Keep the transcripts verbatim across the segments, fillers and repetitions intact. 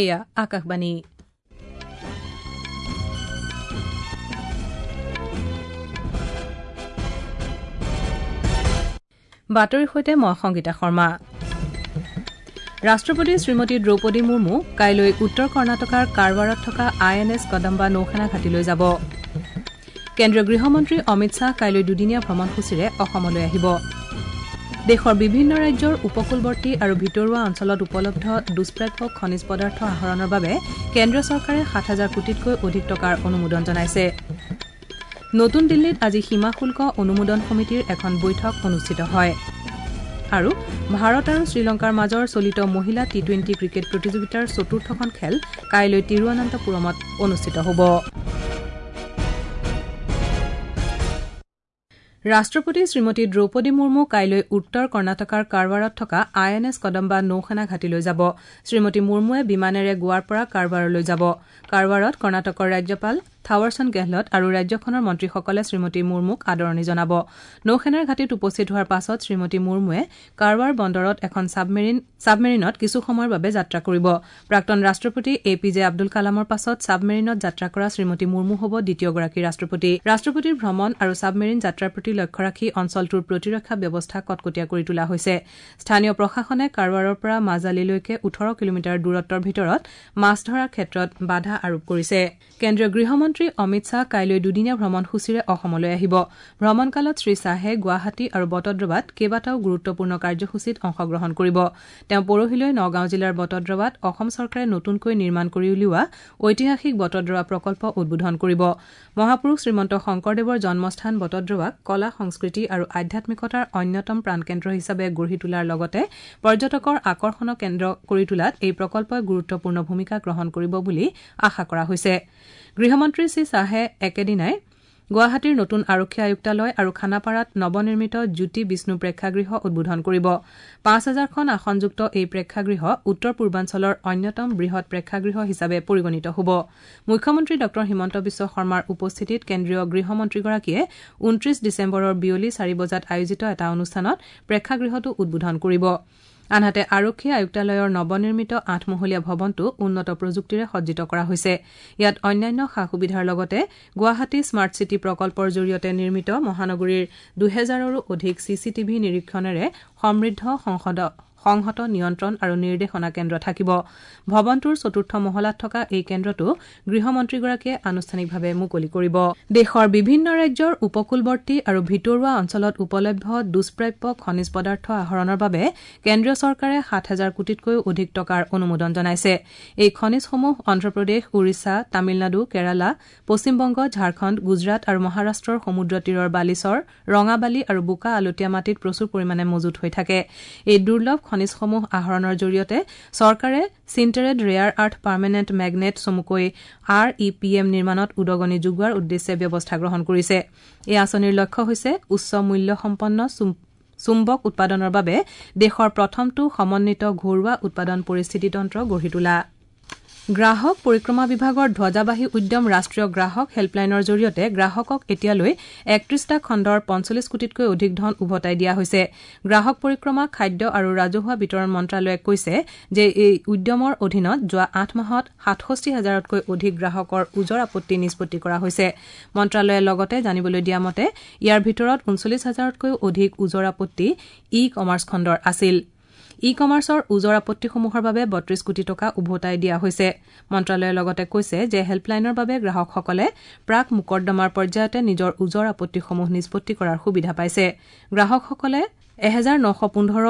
এয়া আকাশবাণী। বাতৰিৰ সৈতে মই সংগীতা শৰ্মা। ৰাষ্ট্ৰপতি শ্ৰীমতী দ্ৰৌপদী মুৰ্মু কাইলৈ উত্তৰ কৰ্ণাটকৰ কাৰৱাৰত থকা আই এন এছ কদম্বা নৌসেনা ঘাটিলৈ যাব। কেন্দ্ৰীয় গৃহমন্ত্ৰী অমিত শ্বাহ কাইলৈ দুদিনীয়া ভ্ৰমণসূচীৰে অসমলৈ আহিব। দেশৰ বিভিন্ন ৰাজ্যৰ উপকূলৱৰ্তী আৰু ভিতৰুৱা অঞ্চলত উপলব্ধ দুষ্প্ৰাপ্য খনিজ পদাৰ্থ আহৰণৰ বাবে কেন্দ্ৰীয় চৰকাৰে সাত হাজাৰ কোটিতকৈ অধিক টকাৰ অনুমোদন জনাইছে। নতুন দিল্লীত আজি সীমা শুল্ক অনুমোদন সমিতিৰ এখন বৈঠক অনুষ্ঠিত হয়। আৰু ভাৰত আৰু শ্ৰীলংকাৰ মাজৰ চলিত মহিলা টি টুৱেণ্টি ক্ৰিকেট প্ৰতিযোগিতাৰ চতুৰ্থখন খেল কাইলৈ তিৰুৱনন্তপুৰমত অনুষ্ঠিত হ'ব। ৰাষ্ট্ৰপতি শ্ৰীমতী দ্ৰৌপদী মুৰ্মু কাইলৈ উত্তৰ কৰ্ণাটকৰ কাৰৱাৰত থকা আই এন এছ কদম্বা নৌসেনা ঘাটিলৈ যাব। শ্ৰীমতী মুৰ্মুৱে বিমানেৰে গোৱাৰ পৰা কাৰৱাৰলৈ যাব। কাৰৱাৰত কৰ্ণাটকৰ ৰাজ্যপাল থাৱাৰচন্দ গেহলট আৰু ৰাজ্যখনৰ মন্ত্ৰীসকলে শ্ৰীমতী মুৰ্মুক আদৰণি জনাব। নৌসেনাৰ ঘাটিত উপস্থিত হোৱাৰ পাছত শ্ৰীমতী মুৰ্মুৱে কাৰৱাৰ বন্দৰত এখন ছাবমেৰিন ছাবমেৰিনত কিছু সময়ৰ বাবে যাত্ৰা কৰিব। প্ৰাক্তন ৰাষ্ট্ৰপতি এ পি জে আব্দুল কালামৰ পাছত ছাবমেৰিনত যাত্ৰা কৰা শ্ৰীমতী মুৰ্মু হ'ব দ্বিতীয়গৰাকী ৰাষ্ট্ৰপতি। ৰাষ্ট্ৰপতিৰ ভ্ৰমণ আৰু ছাবমেৰিন যাত্ৰাৰ প্ৰতি লক্ষ্য ৰাখি অঞ্চলটোৰ প্ৰতিৰক্ষা ব্যৱস্থা কটকটীয়া কৰি তোলা হৈছে। স্থানীয় প্ৰশাসনে কাৰৱাৰৰ পৰা মাজালিলৈকে ওঠৰ কিলোমিটাৰ দূৰত্বৰ ভিতৰত মাছ ধৰাৰ ক্ষেত্ৰত বাধা আৰোপ কৰিছে। কেন্দ্ৰীয় গৃহমন্ত্ৰী অমিত শ্বাহ কাইলৈ দুদিনীয়া ভ্ৰমণসূচীৰে অসমলৈ আহিব। ভ্ৰমণকালত শ্ৰীশ্বাহে গুৱাহাটী আৰু বটদ্ৰৱাত কেইবাটাও গুৰুত্বপূৰ্ণ কাৰ্যসূচীত অংশগ্ৰহণ কৰিব। তেওঁ পৰহিলৈ নগাঁও জিলাৰ বটদ্ৰৱাত অসম চৰকাৰে নতুনকৈ নিৰ্মাণ কৰি উলিওৱা ঐতিহাসিক বটদ্ৰৱা প্ৰকল্প উদ্বোধন কৰিব। মহাপুৰুষ শ্ৰীমন্ত শংকৰদেৱৰ জন্মস্থান বটদ্ৰৱাক কলা, সংস্কৃতি আৰু আধ্যাত্মিকতাৰ অন্যতম প্ৰাণকেন্দ্ৰ হিচাপে গঢ়ি তোলাৰ লগতে পৰ্যটকৰ আকৰ্ষণৰ কেন্দ্ৰ কৰি তোলাত এই প্ৰকল্পই গুৰুত্বপূৰ্ণ ভূমিকা গ্ৰহণ কৰিব বুলি আশা কৰা হৈছে। গৃহমন্ত্ৰী শ্ৰীশ্বাহে একেদিনাই গুৱাহাটীৰ নতুন আৰক্ষী আয়ুক্তালয় আৰু খানাপাৰাত নৱনিৰ্মিত জ্যোতি বিষ্ণু প্ৰেক্ষাগৃহ উদ্বোধন কৰিব। পাঁচ হাজাৰখন আসনযুক্ত এই প্ৰেক্ষাগৃহ উত্তৰ পূৰ্বাঞ্চলৰ অন্যতম বৃহৎ প্ৰেক্ষাগৃহ হিচাপে পৰিগণিত হ'ব। মুখ্যমন্ত্ৰী ডঃ হিমন্ত বিশ্ব শৰ্মাৰ উপস্থিতিত কেন্দ্ৰীয় গৃহমন্ত্ৰীগৰাকীয়ে ঊনত্ৰিশ ডিচেম্বৰৰ বিয়লি চাৰি বজাত আয়োজিত এটা অনুষ্ঠানত প্ৰেক্ষাগৃহটো উদ্বোধন কৰিব। আনহাতে আৰক্ষী আয়ুক্তালয়ৰ নৱনিৰ্মিত আঠমহলীয়া ভৱনটো উন্নত প্ৰযুক্তিৰে সজ্জিত কৰা হৈছে। ইয়াত অন্যান্য সা সুবিধাৰ লগতে গুৱাহাটী স্মাৰ্ট চিটি প্ৰকল্পৰ জৰিয়তে নিৰ্মিত মহানগৰীৰ দুহেজাৰৰো অধিক চি চি টিভি নিৰীক্ষণেৰে সমৃদ্ধ সংহত নিয়ন্ত্ৰণ আৰু নিৰ্দেশনা কেন্দ্ৰ থাকিব। ভৱনটোৰ চতুৰ্থ মহলাত থকা এই কেন্দ্ৰটো গৃহমন্ত্ৰীগৰাকীয়ে আনুষ্ঠানিকভাৱে মুকলি কৰিব। দেশৰ বিভিন্ন ৰাজ্যৰ উপকূলৱৰ্তী আৰু ভিতৰুৱা অঞ্চলত উপলব্ধ দুষ্প্ৰাপ্য খনিজ পদাৰ্থ আহৰণৰ বাবে কেন্দ্ৰীয় চৰকাৰে সাত হাজাৰ কোটিতকৈও অধিক টকাৰ অনুমোদন জনাইছে। এই খনিজসমূহ অন্ধ্ৰপ্ৰদেশ, ওড়িশা, তামিলনাডু, কেৰালা, পশ্চিমবংগ, ঝাৰখণ্ড, গুজৰাট আৰু মহাৰাষ্ট্ৰৰ সমুদ্ৰ তীৰৰ বালিচৰ, ৰঙাবালি আৰু বোকা আলতীয়া মাটিত প্ৰচুৰ পৰিমাণে মজুত হৈ থাকে। এই দুৰ্লভ খনিজসমূহ আহৰণৰ জৰিয়তে চৰকাৰে sintered rare earth permanent magnet চমুকৈ আৰ ই পি এম নিৰ্মাণত উদগনি যোগোৱাৰ উদ্দেশ্যে ব্যৱস্থা গ্ৰহণ কৰিছে। এই আঁচনিৰ লক্ষ্য হৈছে উচ্চ মূল্যসম্পন্ন চুম্বক উৎপাদনৰ বাবে দেশৰ প্ৰথমটো সমন্বিত ঘৰুৱা উৎপাদন পৰিস্থিতিতন্ত্ৰ গঢ়ি তোলা। গ্ৰাহক পৰিক্ৰমা বিভাগৰ ধ্বজাবাহী উদ্যম ৰাষ্ট্ৰীয় গ্ৰাহক হেল্পলাইনৰ জৰিয়তে গ্ৰাহকক এতিয়ালৈ একত্ৰিশটা খণ্ডৰ পঞ্চল্লিছ কোটিতকৈ অধিক ধন উভতাই দিয়া হৈছে। গ্ৰাহক পৰিক্ৰমা, খাদ্য আৰু ৰাজহুৱা বিতৰণ মন্ত্ৰালয়ে কৈছে যে এই উদ্যমৰ অধীনত যোৱা আঠ মাহত সাতষষ্ঠি হাজাৰতকৈ অধিক গ্ৰাহকৰ ওজৰ আপত্তি নিষ্পত্তি কৰা হৈছে। মন্ত্ৰালয়ে লগতে জানিবলৈ দিয়া মতে ইয়াৰ ভিতৰত ঊনচল্লিছ হাজাৰতকৈও অধিক ওজৰ আপত্তি ই কমাৰ্চ খণ্ডৰ আছিল। ই কমাৰ্চৰ ওজৰ আপত্তিসমূহৰ বাবে বত্ৰিশ কোটি টকা উভতাই দিয়া হৈছে। মন্ত্ৰালয়ে লগতে কৈছে যে হেল্পলাইনৰ বাবে গ্ৰাহকসকলে প্ৰাক মোকৰ্দমাৰ পৰ্যায়তে নিজৰ ওজৰ আপত্তিসমূহ নিষ্পত্তি কৰাৰ সুবিধা পাইছে। গ্ৰাহকসকলে এহেজাৰ নশ পোন্ধৰ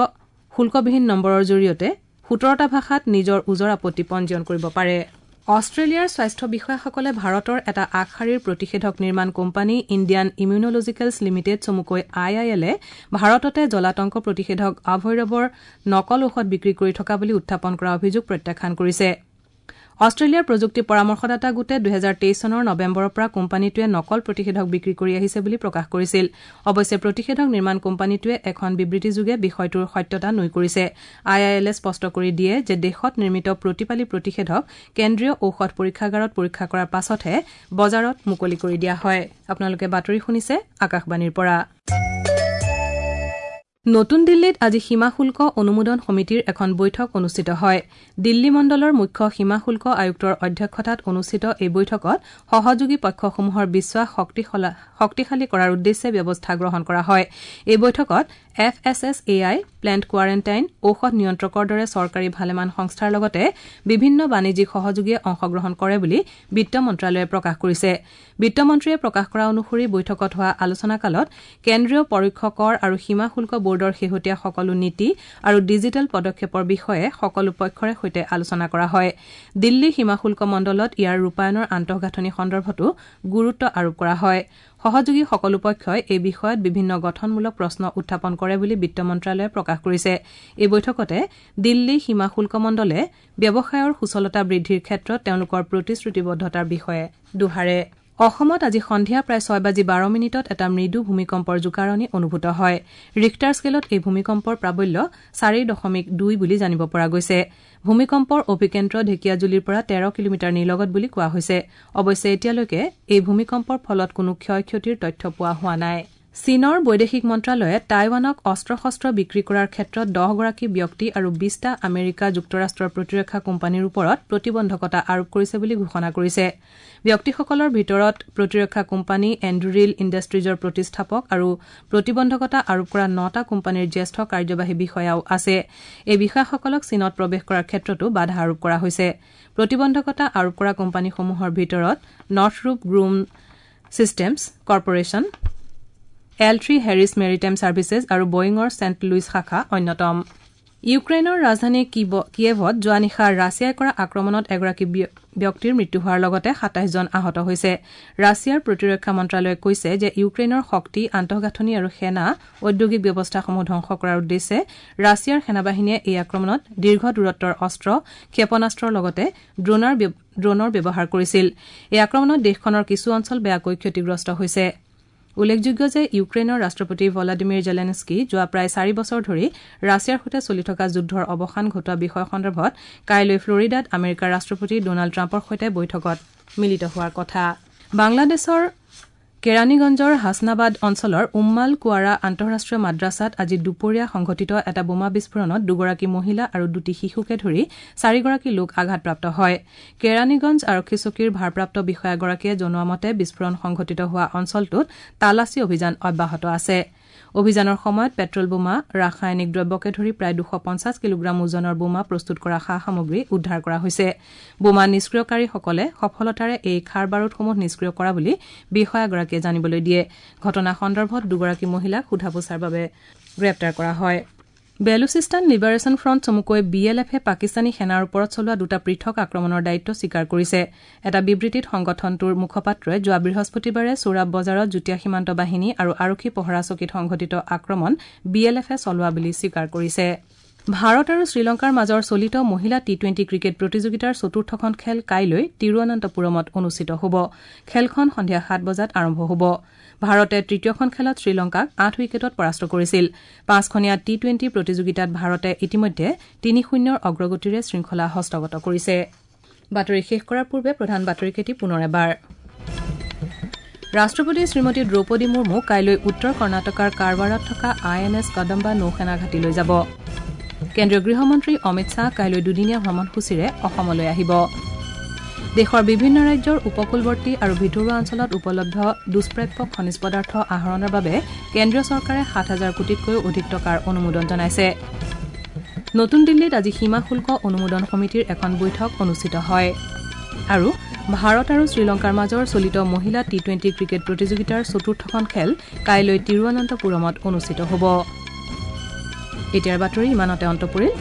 শুল্কবিহীন নম্বৰৰ জৰিয়তে সোতৰটা ভাষাত নিজৰ ওজৰ আপত্তি পঞ্জীয়ন কৰিব পাৰে। অষ্ট্ৰেলিয়াৰ স্বাস্থ্য বিষয়াসকলে ভাৰতৰ এটা আগশাৰীৰ প্ৰতিষেধক নিৰ্মাণ কোম্পানী ইণ্ডিয়ান ইমিউনলজিকেলছ লিমিটেড চমুকৈ আই আই এলে ভাৰততে জলাতংক প্ৰতিষেধক আভৈৰৱৰ নকল ঔষধ বিক্ৰী কৰি থকা বুলি উত্থাপন কৰা অভিযোগ প্ৰত্যাখ্যান কৰিছে। অষ্ট্ৰেলিয়াৰ প্ৰযুক্তি পৰামৰ্শদাতা গোটে দুহেজাৰ তেইছ চনৰ নৱেম্বৰৰ পৰা কোম্পানীটোৱে নকল প্ৰতিষেধক বিক্ৰী কৰি আহিছে বুলি প্ৰকাশ কৰিছিল। অৱশ্যে প্ৰতিষেধক নিৰ্মাণ কোম্পানীটোৱে এখন বিবৃতিযোগে বিষয়টোৰ সত্যতা নুই কৰিছে। আই আই এলে স্পষ্ট কৰি দিয়ে যে দেশত নিৰ্মিত প্ৰতিপালি প্ৰতিষেধক কেন্দ্ৰীয় ঔষধ পৰীক্ষাগাৰত পৰীক্ষা কৰাৰ পাছতহে বজাৰত মুকলি কৰি দিয়া হয়। আপোনালোকে বাতৰি শুনিছে আকাশবাণীৰ পৰা। নতুন দিল্লীত আজি সীমা শুল্ক অনুমোদন সমিতিৰ এখন বৈঠক অনুষ্ঠিত হয়। দিল্লী মণ্ডলৰ মুখ্য সীমা শুল্ক আয়ুক্তৰ অধ্যক্ষতাত অনুষ্ঠিত এই বৈঠকত সহযোগী পক্ষসমূহৰ বিশ্বাস শক্তিশালী কৰাৰ উদ্দেশ্যে ব্যৱস্থা গ্ৰহণ কৰা হয়। এই বৈঠকত F S S A I, plant quarantine, ঔষধ নিয়ন্ত্ৰকৰ দৰে চৰকাৰী ভালেমান সংস্থাৰ লগতে বিভিন্ন বাণিজ্যিক সহযোগীয়ে অংশগ্ৰহণ কৰে বুলি বিত্ত মন্ত্ৰালয়ে প্ৰকাশ কৰিছে। বিত্তমন্ত্ৰীয়ে প্ৰকাশ কৰা অনুসৰি বৈঠকত হোৱা আলোচনাকালত কেন্দ্ৰীয় পৰোক্ষ কৰ আৰু সীমা শুল্ক বোৰ্ডৰ শেহতীয়া সকলো নীতি আৰু ডিজিটেল পদক্ষেপৰ বিষয়ে সকলো পক্ষৰে সৈতে আলোচনা কৰা হয়। দিল্লী সীমা শুল্ক মণ্ডলত ইয়াৰ ৰূপায়ণৰ আন্তঃগাঁথনি সন্দৰ্ভতো গুৰুত্ব আৰোপ কৰা হয়। সহযোগী সকলো পক্ষই এই বিষয়ত বিভিন্ন গঠনমূলক প্ৰশ্ন উত্থাপন কৰে বুলি বিত্ত মন্ত্ৰালয়ে প্ৰকাশ কৰিছে। এই বৈঠকতে দিল্লী সীমা শুল্ক মণ্ডলে ব্যৱসায়ৰ সুচলতা বৃদ্ধিৰ ক্ষেত্ৰত তেওঁলোকৰ প্ৰতিশ্ৰুতিবদ্ধতাৰ বিষয়ে দোহাৰে। অসমত আজি সন্ধিয়া প্ৰায় ছয় বাজি বাৰ মিনিটত এটা মৃদু ভূমিকম্পৰ জোকাৰণি অনুভূত হয়। ৰিখটাৰ স্কেলত এই ভূমিকম্পৰ প্ৰাবল্য চাৰি দশমিক দুই বুলি জানিব পৰা গৈছে। ভূমিকম্পৰ অভিকেন্দ্ৰ ঢেকীয়াজুলিৰ পৰা তেৰ কিলোমিটাৰ নিলগত বুলি কোৱা হৈছে। অৱশ্যে এতিয়ালৈকে এই ভূমিকম্পৰ ফলত কোনো ক্ষয় ক্ষতিৰ তথ্য পোৱা হোৱা নাই। চীনৰ বৈদেশিক মন্ত্ৰালয়ে টাইৱানক অস্ত্ৰ শস্ত্ৰ বিক্ৰী কৰাৰ ক্ষেত্ৰত দহগৰাকী ব্যক্তি আৰু বিশটা আমেৰিকা যুক্তৰাষ্ট্ৰৰ প্ৰতিৰক্ষা কোম্পানীৰ ওপৰত প্ৰতিবন্ধকতা আৰোপ কৰিছে বুলি ঘোষণা কৰিছে। ব্যক্তিসকলৰ ভিতৰত প্ৰতিৰক্ষা কোম্পানী এণ্ডুৰিল ইণ্ডাষ্ট্ৰিজৰ প্ৰতিষ্ঠাপক আৰু প্ৰতিবন্ধকতা আৰোপ কৰা নটা কোম্পানীৰ জ্যেষ্ঠ কাৰ্যবাহী বিষয়াও আছে। এই বিষয়াসকলক চীনত প্ৰৱেশ কৰাৰ ক্ষেত্ৰতো বাধা আৰোপ কৰা হৈছে। প্ৰতিবন্ধকতা আৰোপ কৰা কোম্পানীসমূহৰ ভিতৰত Northrop Grumman Systems Corporation, L three Harris Maritime Services আৰু বয়িঙৰ ছেণ্ট লুইছ শাখা অন্যতম। ইউক্ৰেইনৰ ৰাজধানী কিয়েভত যোৱা নিশা ৰাছিয়াই কৰা আক্ৰমণত এগৰাকী ব্যক্তিৰ মৃত্যু হোৱাৰ লগতে সাতাইছজন আহত হৈছে। ৰাছিয়াৰ প্ৰতিৰক্ষা মন্ত্ৰালয়ে কৈছে যে ইউক্ৰেইনৰ শক্তি, আন্তঃগাঁথনি আৰু সেনা ঔদ্যোগিক ব্যৱস্থাসমূহ ধ্বংস কৰাৰ উদ্দেশ্যে ৰাছিয়াৰ সেনাবাহিনীয়ে এই আক্ৰমণত দীৰ্ঘ দূৰত্বৰ অস্ত্ৰ, ক্ষেপণাস্ত্ৰৰ লগতে ড্ৰোনৰ ব্যৱহাৰ কৰিছিল। এই আক্ৰমণত দেশখনৰ কিছু অঞ্চল বেয়াকৈ ক্ষতিগ্ৰস্ত হৈছে। উল্লেখযোগ্য যে ইউক্ৰেইনৰ ৰাষ্ট্ৰপতি ভলাডিমিৰ জেলেনস্কি যোৱা প্ৰায় চাৰি বছৰ ধৰি ৰাছিয়াৰ সৈতে চলি থকা যুদ্ধৰ অৱসান ঘটোৱা বিষয় সন্দৰ্ভত কাইলৈ ফ্লৰিডাত আমেৰিকাৰ ৰাষ্ট্ৰপতি ডনাল্ড ট্ৰাম্পৰ সৈতে বৈঠকত মিলিত হোৱাৰ কথা। বাংলাদেশৰ কেৰাণীগঞ্জৰ হাছনাবাদ অঞ্চলৰ উম্মাল কুৱাৰা আন্তঃৰাষ্ট্ৰীয় মাদ্ৰাছাত আজি দুপৰীয়া সংঘটিত এটা বোমা বিস্ফোৰণত দুগৰাকী মহিলা আৰু দুটি শিশুকে ধৰি চাৰিগৰাকী লোক আঘাতপ্ৰাপ্ত হয়। কেৰাণীগঞ্জ আৰক্ষী চকীৰ ভাৰপ্ৰাপ্ত বিষয়াগৰাকীয়ে জনোৱা মতে বিস্ফোৰণ সংঘটিত হোৱা অঞ্চলটোত তালাচী অভিযান অব্যাহত আছে। অভিযানৰ সময়ত পেট্ৰল বোমা, ৰাসায়নিক দ্ৰব্যকে ধৰি প্ৰায় দুশ পঞ্চাছ কিলোগ্ৰাম ওজনৰ বোমা প্ৰস্তুত কৰা সা সামগ্ৰী উদ্ধাৰ কৰা হৈছে। বোমা নিষ্ক্ৰিয়কাৰীসকলে সফলতাৰে এই খাৰ বাৰুদসমূহ নিষ্ক্ৰিয় কৰা বুলি বিষয়াগৰাকীয়ে জানিবলৈ দিয়ে। ঘটনা সন্দৰ্ভত দুগৰাকী মহিলাক সোধা পোছাৰ বাবে গ্ৰেপ্তাৰ কৰা হয়। বেলুচিস্তান লিবাৰেশ্যন ফ্ৰণ্ট চমুকৈ বি এল এফে পাকিস্তানী সেনাৰ ওপৰত চলোৱা দুটা পৃথক আক্ৰমণৰ দায়িত্ব স্বীকাৰ কৰিছে। এটা বিবৃতিত সংগঠনটোৰ মুখপাত্ৰই যোৱা বৃহস্পতিবাৰে চোৰাব বজাৰত যুটীয়া সীমান্ত বাহিনী আৰু আৰক্ষী পহৰা চকীত সংঘটিত আক্ৰমণ বি এল এফে চলোৱা বুলি স্বীকাৰ কৰিছে। ভাৰত আৰু শ্ৰীলংকাৰ মাজৰ চলিত মহিলা টি টুৱেণ্টি ক্ৰিকেট প্ৰতিযোগিতাৰ চতুৰ্থখন খেল কাইলৈ তিৰুৱনন্তপুৰমত অনুষ্ঠিত হ'ব। খেলখন সন্ধিয়া সাত বজাত আৰম্ভ হ'ব। ভাৰতে তৃতীয়খন খেলত শ্ৰীলংকাক আঠ উইকেটত পৰাস্ত কৰিছিল। পাঁচখনীয়া টি টুৱেণ্টি প্ৰতিযোগিতাত ভাৰতে ইতিমধ্যে তিনি শূন্যৰ অগ্ৰগতিৰে শৃংখলা হস্তগত কৰিছে। বাতৰি শেষ কৰাৰ পূৰ্বে প্ৰধান বাতৰিকেইটি পুনৰ এবাৰ। ৰাষ্ট্ৰপতি শ্ৰীমতী দ্ৰৌপদী মুৰ্মু কাইলৈ উত্তৰ কৰ্ণাটকাৰ কাৰৱাৰত থকা আই এন এছ কদম্বা নৌসেনা ঘাটিলৈ যাব। কেন্দ্ৰীয় গৃহমন্ত্ৰী অমিত শ্বাহ কাইলৈ দুদিনীয়া ভ্ৰমণসূচীৰে অসমলৈ আহিব। দেশৰ বিভিন্ন ৰাজ্যৰ উপকূলৱৰ্তী আৰু ভিতৰুৱা অঞ্চলত উপলব্ধ দুষ্প্ৰাপ্য খনিজ পদাৰ্থ আহৰণৰ বাবে কেন্দ্ৰীয় চৰকাৰে সাত হাজাৰ কোটিতকৈও অধিক টকাৰ অনুমোদন জনাইছে। নতুন দিল্লীত আজি সীমা শুল্ক অনুমোদন সমিতিৰ এখন বৈঠক অনুষ্ঠিত হয়। আৰু ভাৰত আৰু শ্ৰীলংকাৰ মাজৰ চলিত মহিলা টি টুৱেণ্টি ক্ৰিকেট প্ৰতিযোগিতাৰ চতুৰ্থখন খেল কাইলৈ তিৰুৱনন্তপুৰমত অনুষ্ঠিত হ'ব। এতিয়াৰ বাতৰি ইমানতে অন্ত পৰিল।